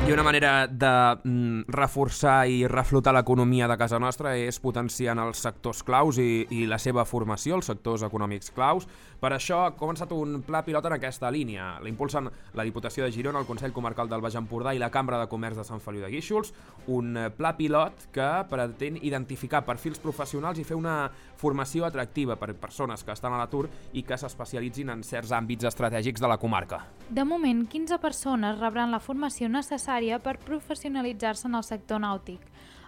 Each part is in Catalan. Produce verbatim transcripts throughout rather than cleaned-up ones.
I una manera de mm, reforçar i reflotar l'economia de casa nostra és potenciant els sectors claus i, i la seva formació, els sectors econòmics claus. Per això ha començat un pla pilot en aquesta línia. L'impulsen la Diputació de Girona, el Consell Comarcal del Baix Empordà i la Cambra de Comerç de Sant Feliu de Guíxols. Un pla pilot que pretén identificar perfils professionals i fer una formació atractiva per persones que estan a l'atur i que s'especialitzin en certs àmbits estratègics de la comarca. De moment, quinze persones rebran la formació necessària per professionalitzar-se en el sector nàutic.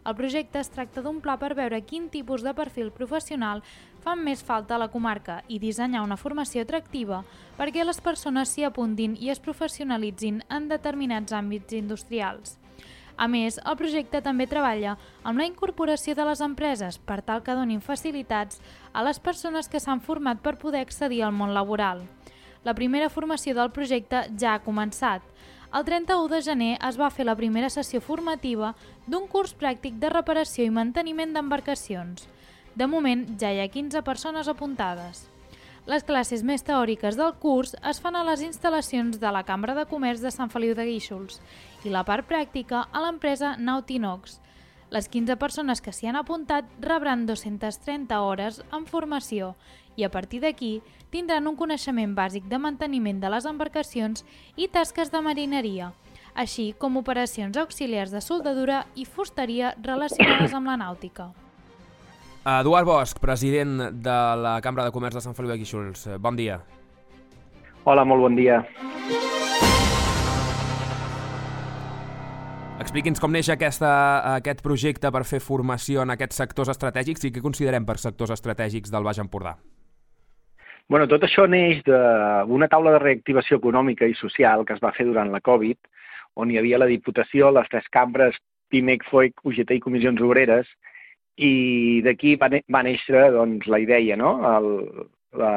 El projecte es tracta d'un pla per veure quin tipus de perfil professional fan més falta a la comarca i dissenyar una formació atractiva perquè les persones s'hi apuntin i es professionalitzin en determinats àmbits industrials. A més, el projecte també treballa amb la incorporació de les empreses per tal que donin facilitats a les persones que s'han format per poder accedir al món laboral. La primera formació del projecte ja ha començat. El trenta-u de gener es va fer la primera sessió formativa d'un curs pràctic de reparació i manteniment d'embarcacions. De moment, ja hi ha quinze persones apuntades. Les classes més teòriques del curs es fan a les instal·lacions de la Cambra de Comerç de Sant Feliu de Guíxols i la part pràctica a l'empresa Nautinox. Les quinze persones que s'hi han apuntat rebran dues-centes trenta hores en formació i a partir d'aquí tindran un coneixement bàsic de manteniment de les embarcacions i tasques de marineria, així com operacions auxiliars de soldadura i fusteria relacionades amb la nàutica. Eduard Bosch, president de la Cambra de Comerç de Sant Feliu de Guíxols. Bon dia. Hola, molt bon dia. Expliqui'ns com neix aquesta, aquest projecte per fer formació en aquests sectors estratègics i què considerem per sectors estratègics del Baix Empordà. Bueno, tot això neix d'una taula de reactivació econòmica i social que es va fer durant la Covid, on hi havia la Diputació, les tres cambres, PIMEC, FOIC, U G T i Comissions Obreres, i d'aquí va, va néixer doncs, la idea, no? El, la,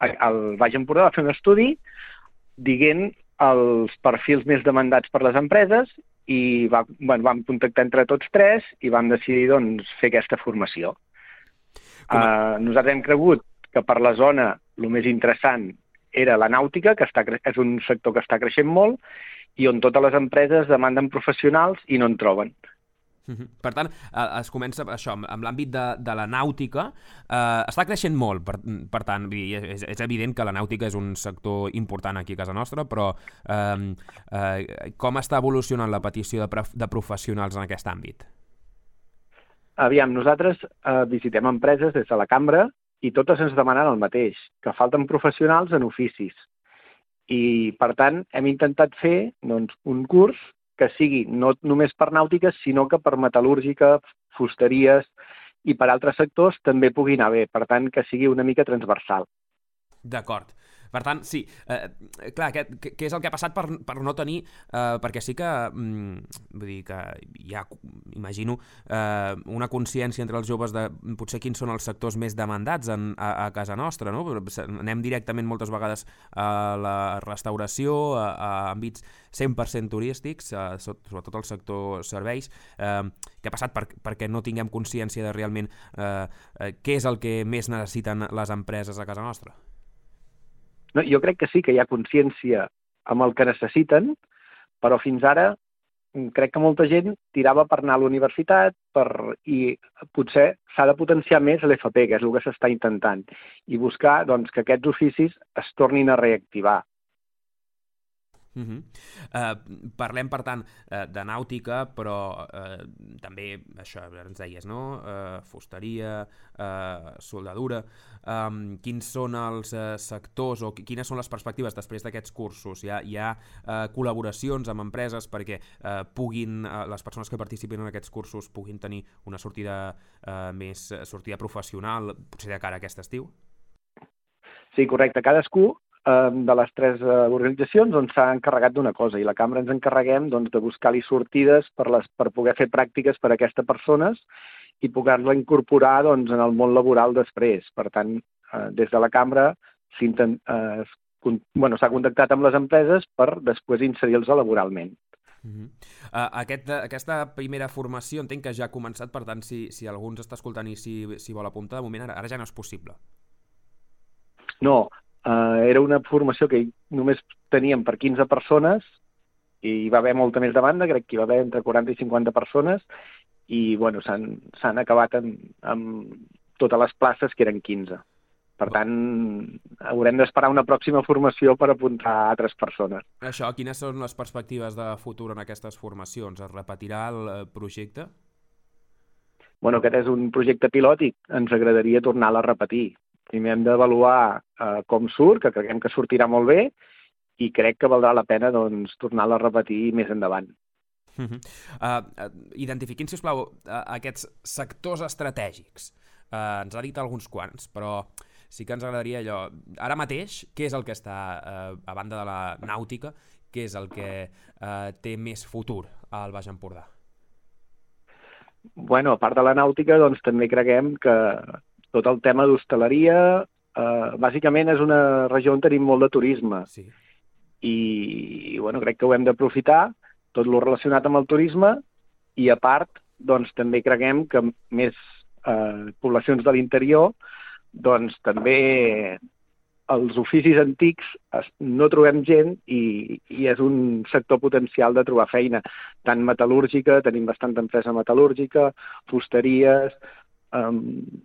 el Baix Empordà va fer un estudi dient els perfils més demandats per les empreses i va, bueno, vam contactar entre tots tres i vam decidir doncs, fer aquesta formació. A... Uh, nosaltres hem cregut que per la zona el més interessant era la nàutica, que està, és un sector que està creixent molt i on totes les empreses demanden professionals i no en troben. Per tant, es comença això, amb l'àmbit de, de la nàutica, eh, està creixent molt, per, per tant, és, és evident que la nàutica és un sector important aquí a casa nostra, però eh, eh, com està evolucionant la petició de, de professionals en aquest àmbit? Aviam, nosaltres eh, visitem empreses des de la cambra i totes ens demanen el mateix, que falten professionals en oficis. I, per tant, hem intentat fer doncs, un curs que sigui no només per nàutiques, sinó que per metal·lúrgica, fusteries i per altres sectors també pugui anar bé, per tant, que sigui una mica transversal. D'acord. Per tant, sí, eh, clar, què, què és el que ha passat per, per no tenir, eh, perquè sí que, mm, vull dir que hi ha, imagino, eh, una consciència entre els joves de potser quins són els sectors més demandats en, a, a casa nostra, no? Anem directament moltes vegades a la restauració, a, a àmbits cent per cent turístics, a, sobretot al sector serveis. Eh, què ha passat per, perquè no tinguem consciència de realment eh, eh, què és el que més necessiten les empreses a casa nostra? No, jo crec que sí que hi ha consciència amb el que necessiten, però fins ara crec que molta gent tirava per anar a la universitat per, i potser s'ha de potenciar més l'F P, que és el que s'està intentant, i buscar doncs, que aquests oficis es tornin a reactivar. Uh -huh. uh, parlem per tant uh, de nàutica, però uh, també això ens deies, no? Uh, fusteria, uh, soldadura. Um, quins són els uh, sectors o quines són les perspectives després d'aquests cursos? Hi ha, hi ha uh, col·laboracions amb empreses perquè uh, puguin uh, les persones que participin en aquests cursos puguin tenir una sortida uh, més uh, sortida professional, potser de cara a aquest estiu? Sí, correcte. Cadascú de les tres organitzacions doncs, s'ha encarregat d'una cosa i la cambra ens encarreguem doncs, de buscar-li sortides per, les, per poder fer pràctiques per a aquestes persones i poder-la incorporar doncs, en el món laboral després. Per tant, eh, des de la cambra eh, bueno, s'ha contactat amb les empreses per després inserir-los laboralment. Uh-huh. uh, aquest, aquesta primera formació entenc que ja ha començat, per tant, si, si algú ens està escoltant i si, si vol apuntar, de moment ara, ara ja no és possible. No, Uh, era una formació que només teníem per quinze persones hi va haver molta més demanda, crec que hi va haver entre quaranta i cinquanta persones, i bueno, s'han, s'han acabat amb, amb totes les places, que eren quinze. Per tant, haurem d'esperar una pròxima formació per apuntar a altres persones. Això, quines són les perspectives de futur en aquestes formacions? Es repetirà el projecte? Bueno, aquest és un projecte pilot i ens agradaria tornar-la a repetir. Primer hem d'avaluar eh, com surt, que creiem que sortirà molt bé, i crec que valdrà la pena doncs, tornar-la a repetir més endavant. Uh -huh. uh, identifiquin, sisplau, uh, aquests sectors estratègics. Uh, ens ha dit alguns quants, però sí que ens agradaria allò... Ara mateix, què és el que està, uh, a banda de la nàutica, què és el que uh, té més futur al Baix Empordà? Bueno, a part de la nàutica, doncs també creguem que tot el tema d'hostaleria, eh, bàsicament és una regió on tenim molt de turisme. Sí. I, bueno, crec que ho hem d'aprofitar, tot lo relacionat amb el turisme, i a part, doncs també creguem que més eh, poblacions de l'interior, doncs també els oficis antics no trobem gent i, i és un sector potencial de trobar feina, tant metal·lúrgica, tenim bastanta empresa metal·lúrgica, fusteries... Um,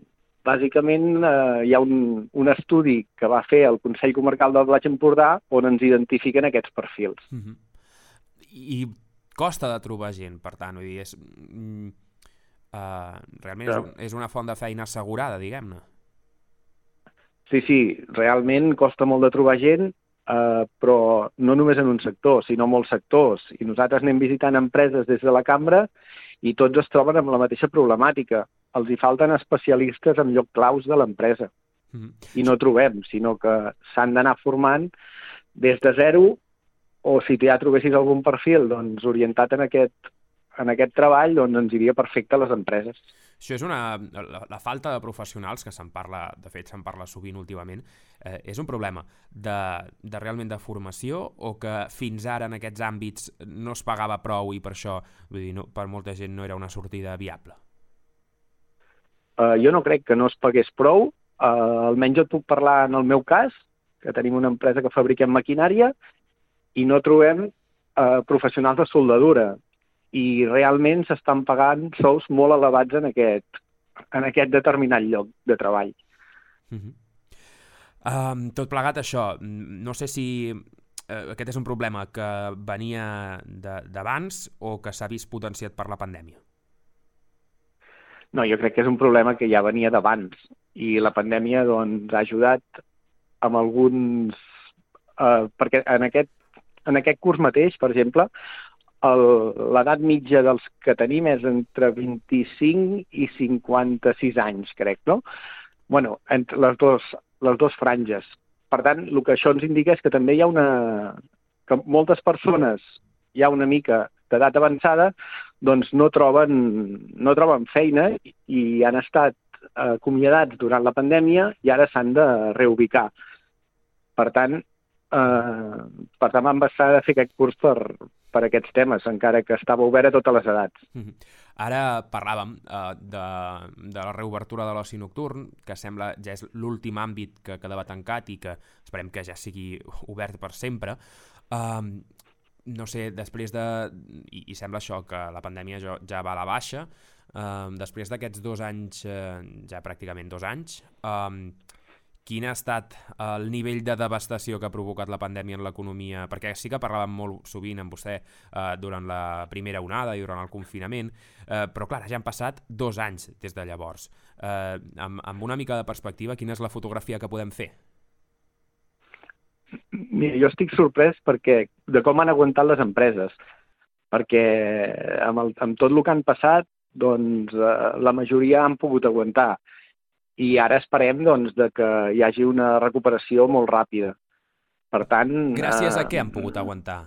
bàsicament eh, hi ha un, un estudi que va fer el Consell Comarcal del Baix Empordà on ens identifiquen aquests perfils. Uh-huh. I costa de trobar gent, per tant, vull dir, és, mm, uh, realment és, un, és una font de feina assegurada, diguem-ne. Sí, sí, realment costa molt de trobar gent, eh, però no només en un sector, sinó en molts sectors. I nosaltres anem visitant empreses des de la cambra i tots es troben amb la mateixa problemàtica. Els hi falten especialistes en lloc claus de l'empresa. Mm-hmm. I no trobem, sinó que s'han d'anar formant des de zero, o si ja trobessis algun perfil doncs, orientat en aquest, en aquest treball, doncs ens iria perfecte a les empreses. Això és una... La, la falta de professionals, que se'n parla, de fet se'n parla sovint últimament, eh, és un problema de, de realment de formació, o que fins ara en aquests àmbits no es pagava prou i per això, vull dir, no, per molta gent no era una sortida viable? Uh, jo no crec que no es pagués prou, uh, almenys jo et puc parlar en el meu cas, que tenim una empresa que fabriquem maquinària i no trobem uh, professionals de soldadura i realment s'estan pagant sous molt elevats en aquest, en aquest determinat lloc de treball. Uh-huh. um, tot plegat això, no sé si uh, aquest és un problema que venia d'abans o que s'ha vist potenciat per la pandèmia. No, jo crec que és un problema que ja venia d'abans i la pandèmia doncs, ha ajudat amb alguns... Eh, perquè en aquest, en aquest curs mateix, per exemple, l'edat mitja dels que tenim és entre vint-i-cinc i cinquanta-sis anys, crec, no? Bueno, entre les dues, les dues franges. Per tant, el que això ens indica és que també hi ha una... que moltes persones hi ha una mica d'edat avançada doncs no troben, no troben feina i han estat acomiadats durant la pandèmia i ara s'han de reubicar. Per tant, eh, per tant vam passar de fer aquest curs per, per aquests temes, encara que estava obert a totes les edats. Mm-hmm. Ara parlàvem uh, de, de la reobertura de l'oci nocturn, que sembla ja és l'últim àmbit que quedava tancat i que esperem que ja sigui obert per sempre. Uh, no sé, després de... I, i sembla això, que la pandèmia ja, ja va a la baixa. Uh, després d'aquests dos anys, uh, ja pràcticament dos anys, uh, quin ha estat el nivell de devastació que ha provocat la pandèmia en l'economia? Perquè sí que parlàvem molt sovint amb vostè eh, durant la primera onada i durant el confinament, eh, però clar, ja han passat dos anys des de llavors. Eh, amb, amb una mica de perspectiva, quina és la fotografia que podem fer? Mira, jo estic sorprès perquè de com han aguantat les empreses, perquè amb, el, amb tot el que han passat, doncs eh, la majoria han pogut aguantar. I ara esperem doncs, de que hi hagi una recuperació molt ràpida. Per tant... Gràcies eh, a què han pogut aguantar?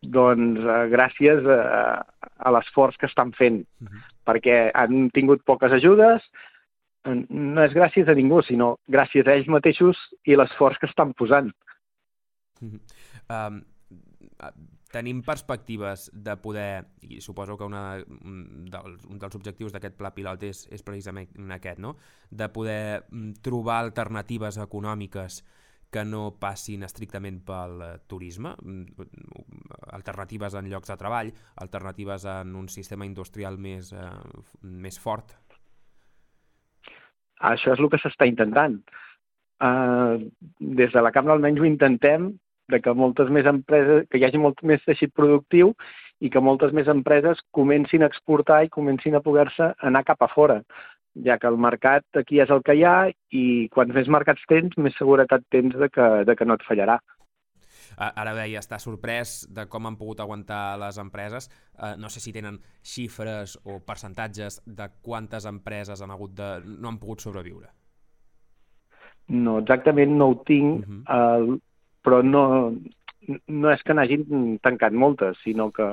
Doncs eh, gràcies a, a l'esforç que estan fent, uh-huh. perquè han tingut poques ajudes, no és gràcies a ningú, sinó gràcies a ells mateixos i l'esforç que estan posant. Uh-huh. Um, tenim perspectives de poder, i suposo que una, un, dels, un dels objectius d'aquest pla pilot és, és precisament aquest, no? De poder trobar alternatives econòmiques que no passin estrictament pel turisme. alternatives en llocs de treball, alternatives en un sistema industrial més, eh, més fort. Això és el que s'està intentant. Uh, des de la Cambra almenys ho intentem, de que moltes més empreses, que hi hagi molt més teixit productiu i que moltes més empreses comencin a exportar i comencin a poder-se anar cap a fora, ja que el mercat aquí és el que hi ha i quants més mercats tens, més seguretat tens de que, de que no et fallarà. Ara deia, està sorprès de com han pogut aguantar les empreses. Uh, no sé si tenen xifres o percentatges de quantes empreses han hagut de... no han pogut sobreviure. No, exactament no ho tinc, uh-huh. uh, però no, no és que n'hagin tancat moltes, sinó que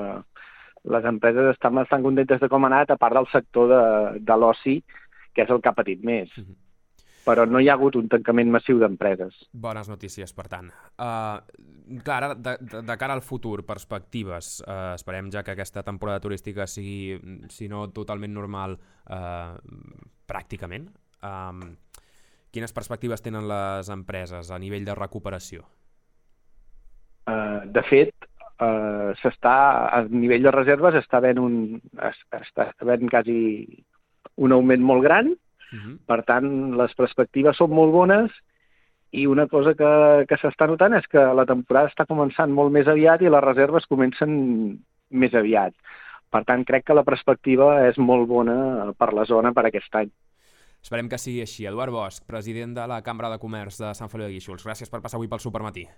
les empreses estan bastant contentes de com ha anat, a part del sector de, de l'oci, que és el que ha patit més. Uh-huh. Però no hi ha hagut un tancament massiu d'empreses. Bones notícies, per tant. Uh, clar, ara, de, de, de cara al futur, perspectives, uh, esperem ja que aquesta temporada turística sigui, si no totalment normal, uh, pràcticament. Um, quines perspectives tenen les empreses a nivell de recuperació? Uh, de fet, uh, s'està, a nivell de reserves està havent un, està havent quasi un augment molt gran. Uh-huh. Per tant, les perspectives són molt bones i una cosa que, que s'està notant és que la temporada està començant molt més aviat i les reserves comencen més aviat. Per tant, crec que la perspectiva és molt bona per la zona per aquest any. Esperem que sigui així. Eduard Bosch, president de la Cambra de Comerç de Sant Feliu de Guíxols. Gràcies per passar avui pel Supermatí.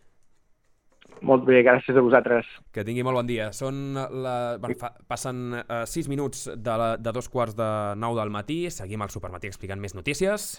Molt bé, gràcies a vosaltres. Que tingui molt bon dia. Són la... bueno, fa... Passen uh, sis minuts de, la... de dos quarts de nou del matí. Seguim al Supermatí explicant més notícies.